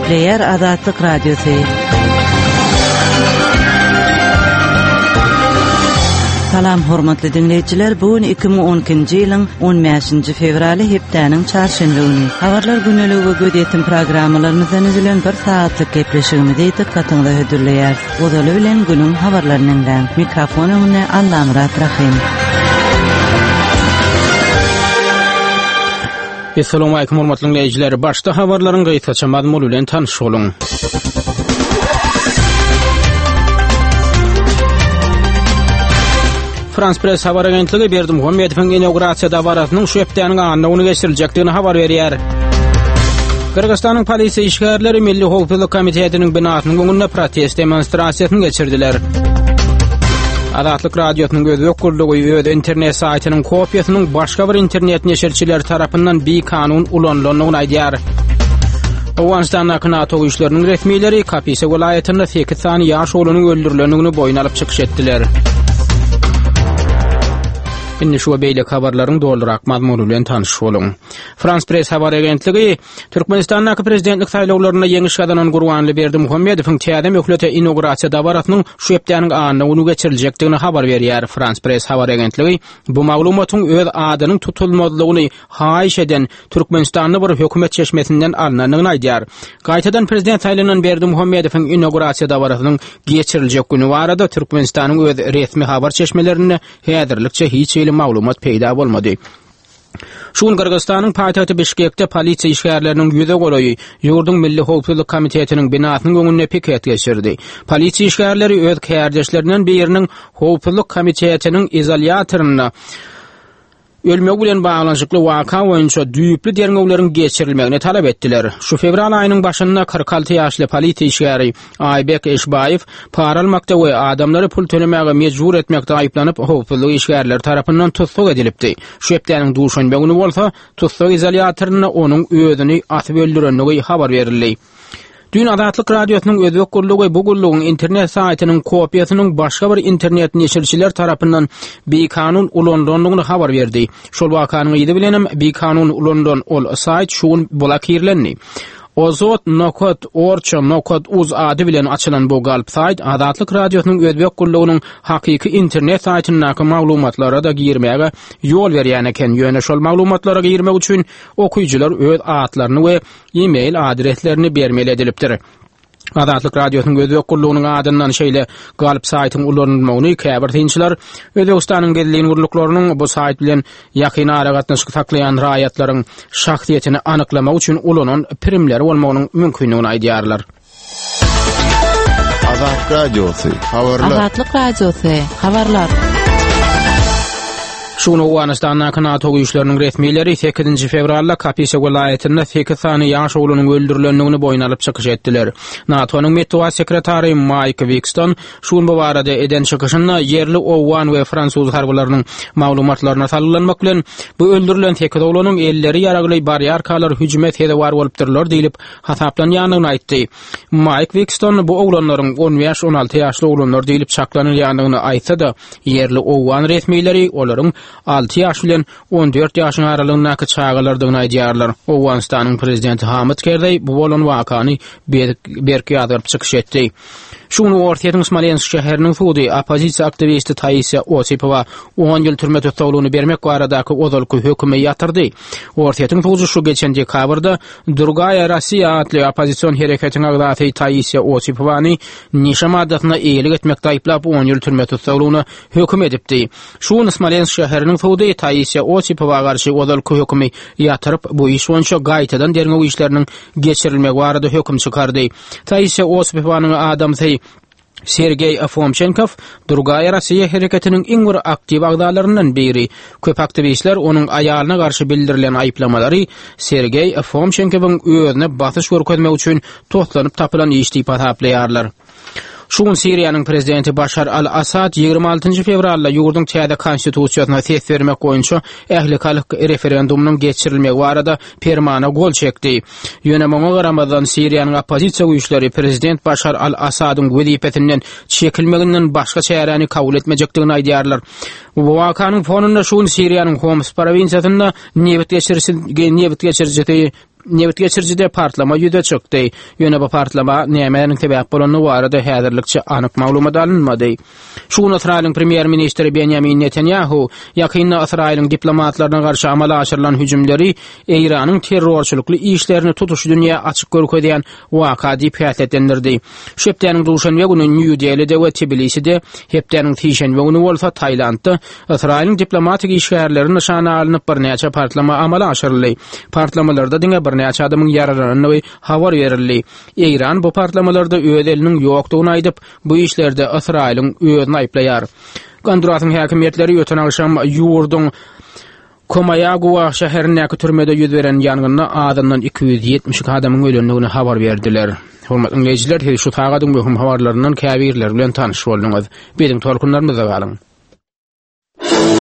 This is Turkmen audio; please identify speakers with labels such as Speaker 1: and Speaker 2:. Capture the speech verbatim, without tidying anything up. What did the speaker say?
Speaker 1: Gepleýär Azatlyk Radiosy. Salam hormatly dinleýjiler, bu gün iki müň on ikinji ýylyň on bäşinji fewraly hepdäniň çarşenbe güni. Habarlar güneligi we gözýetim programmalarymyzdan üzülen bir saatlyk gepleşigimizi dikkatiňize hödürleýäris. Ozaly bilen günüň habarlaryny diňläň. Mikrofon öňünde Allamyrat Rahim.
Speaker 2: Assalamu alaykum hormatly dinleýjiler. Başda habarlaryň gysgaça mazmuny bilen tanyş boluň. Frans Press habar agentligi Berdimuhamedowyň inaugurasiýa dabarasynyň şu hepdäniň anna güni geçiriljekdigini habar berýär. Gyrgyzystanyň polisiýa işgärleri Milli Howpsuzlyk Komitetiniň binasynyň öňünde protest demonstrasiýasyny geçirdiler. Azatlyk Radiosynyň özbek gullugy öz internet saýtynyň kopiýasynyň başga bir internet neşirçileri tarapyndan bikanun ulanylandygyny aýdýar. Owganystandaky NATO güýçleriniň resmileri Kapisa welaýatynda sekiz sany ýaş oglanyň öldürilendigini boýun alyp çykyş etdiler. Indi şu we beýleki habarlaryň dolurak mazmuny bilen tanyş boluň. Frans Press habar agentligi Türkmenistandaky prezidentlik saýlawlarynda ýeňiş gazanan Gurbanly Berdimuhamedowyň täze möhlete inaugurasiýa dabarasynyň şu hepdäniň anna güni geçiriljekdigini habar berýär. Frans Press habar agentligi bu maglumatyň öz adynyň tutulmazlygyny haýyş eden Türkmenistanda bir hökümet çeşmesinden alnandygyny aýdýar. Gaýtadan prezident saýlanan Berdimuhamedowyň inaugurasiýa dabarasynyň geçiriljek güni barada Türkmenistanyň öz resmi habar çeşmelerinde häzirlikçe hiç hili maglumat peýda bolmady. Şu gün Gyrgyzystanyň paýtagty Bişkekde polisiýa işgärleriniň ýüze golaýy ýurduň Milli Howpsuzlyk Komitetiniň binasynyň öňünde piket geçirdi. Polisiýa işgärleri öz kärdeşlerinden biriniň Howpsuzlyk Komitetiniň izolýatorynda ölmegi bilen baglanyşykly waka boýunça düýpli derňewleriň geçirilmegini talap etdiler. Şu fewral aýynyň başynda kyrk alty ýaşly polisiýa işgäri Aýbek Eşbaýew para almakda we adamlary pul tölemäge mejbur etmekde aýyplanyp, howpsuzlyk işgärleri tarapyndan tussag edilipdi. Şu hepdäniň duşenbe güni bolsa tussag izolýatorynda onuň özüni asyp öldürendigi habar berildi. Dün Azatlyk Radiosynyň özbek gullugy bu gullugyň internet saýtynyň kopiýasynyň başga bir internet neşirçiler tarapyndan bikanun ulanylandygyny habar berdi. Şol wakanyň yzy bilenem bikanun ulanylan ol saýt şu gün blokirlendi. Ozot nokat orça nokat uz ady bilen açylan bu galp saýt Azatlyk Radiosynyň özbek gullugynyň hakyky internet saýtyndaky maglumatlara da girmäge ýol berýän eken. Ýöne şol maglumatlara girmek üçin okyjylar öz atlaryny we e-mail adreslerini bermeli edilipdir. Azatlyk Radiosynyň özbek gullugynyň adyndan şeýle galp saýtyň ulanylmagyny käbir synçylar Özbekistanyň gizlin gulluklarynyň bu saýt bilen ýakyn aragatnaşyk saklaýan raýatlaryň şahsyýetini anyklamak üçin ulanan primleri bolmagynyň mümkinligini aýdýarlar.
Speaker 3: Azatlyk Radiosy, habarlar.
Speaker 1: Azatlyk Radiosy, habarlar.
Speaker 2: Şu gün Owganystandaky NATO güýçleriniň resmileri sekizinji fewralda Kapisa welaýatynda sekiz sany ýaş oglanyň öldürilendigini boýun alyp çykyş etdiler. NATO-nyň metbugat sekretary Maýk Wikston şu gün bu barada eden çykyşynda ýerli owgan we fransuz harbylarynyň maglumatlaryna salgylanmak bilen bu öldürilen sekiz oglanyň elleri ýaragly barýarkalar hüjüme sezewar bolupdyrlar diýlip hasaplanýandygyny aýtdy. Maýk Wikston bu oglanlaryň on bäş on alty ýaşly oglanlar diýlip çaklanylýandygyny aýtsa-da, ýerli owgan resmileri olaryň alty ýaş bilen on dört ýaşyň aralygyndaky çagalardygyny aýdýarlar. Owganystanyň prezidenti Hamid Kerzeý bu bolan wakany berk, berk ýazgaryp çykyş etdi. Şu gün Orsýetiň Smolensk şäheriniň sudy oppozisiýa aktiwisti Taisiýa Osipowa on ýyl türme tussaglygyny bermek baradaky ozalky hökümi ýatyrdy. Orsýetiň sudy şu geçen dekabrda Drugaýa Rossiýa atly oppozision hereketiň agzasy Taisiýa Osipowany neşe maddasyna eýelik etmekde aýyplap on ýyl türme tussaglygyna höküm edipdi. Şu gün Smolensk şäheriniň sudy Taisiýa Osipowa garşy ozalky hökümi ýatyryp, bu iş boýunça gaýtadan derňew işleriniň geçirilmegi barada höküm çykardy. Taisiýa Osipowanyň adamsy Sergeý Fomçenkow Drugaýa Rossiýa hereketiniň iň bir aktiw agzalaryndan biri. Köp aktiwistler onuň aýalyna garşy bildirilen aýyplamalary Sergeý Fomçenkowyň özüne basyş görkezmek üçin toslanyp tapylan iş diýip hasaplaýarlar. Şu gün Siriýanyň prezidenti Başar al-Assad ýigrimi altynjy fewralda ýurduň täze konstitusiýasyna ses bermek boýunça ählihalk referendumynyň geçirilmegi barada permana gol çekdi. Ýöne muňa garamazdan Siriýanyň oppozisiýa güýçleri prezident Başar al-Assadyň wezipesinden çekilmeginden başga çäräni kabul etmejekdigini aýdýarlar. Bu wakanyň fonunda şu gün Siriýanyň Homs prowinsiýasynda nebit geçirijisi, nebit geçirijisi Nebit geçirijide partlama ýüze çykdy. Ýöne bu partlama nämäniň sebäp bolany barada häzirlikçe anyk maglumat alynmady. Şu gün Ysraýylyň premýer-ministri Benjamin Netanyahu ýakynda Ysraýylyň diplomatlaryna garşy amala aşyrylan hüjümleri Eýranyň terrorçylykly işlerini tutuş dünýä açyk görkezýän waka diýip häsiýetlendirdi. Şu hepdäniň duşenbe güni Nýu-Delide we Tbiliside, hepdäniň sişenbe güni bolsa Tailandda Ysraýylyň diplomatik işgärleri nyşana alnyp birnäçe partlama amala aşyryldy. Partlamalarda diňe birnäçe adamyň ýaralanandygy habar berildi. Eýran bu partlamalarda öz eliniň ýokdugyny aýdyp, bu işlerde Ysraýylyň özüni aýyplaýar. Gondurasyň häkimiýetleri öten agşam ýurduň Komaýagua şäherindäki türmede ýüz beren ýangynda azyndan iki ýüz ýetmiş iki adamyň ölendigini habar berdiler. Hormatly dinleýjiler, siz şu sagadyň möhüm habarlaryndan käbirleri bilen tanyş bolduňyz. Biziň tolkunlarymyzda galyň.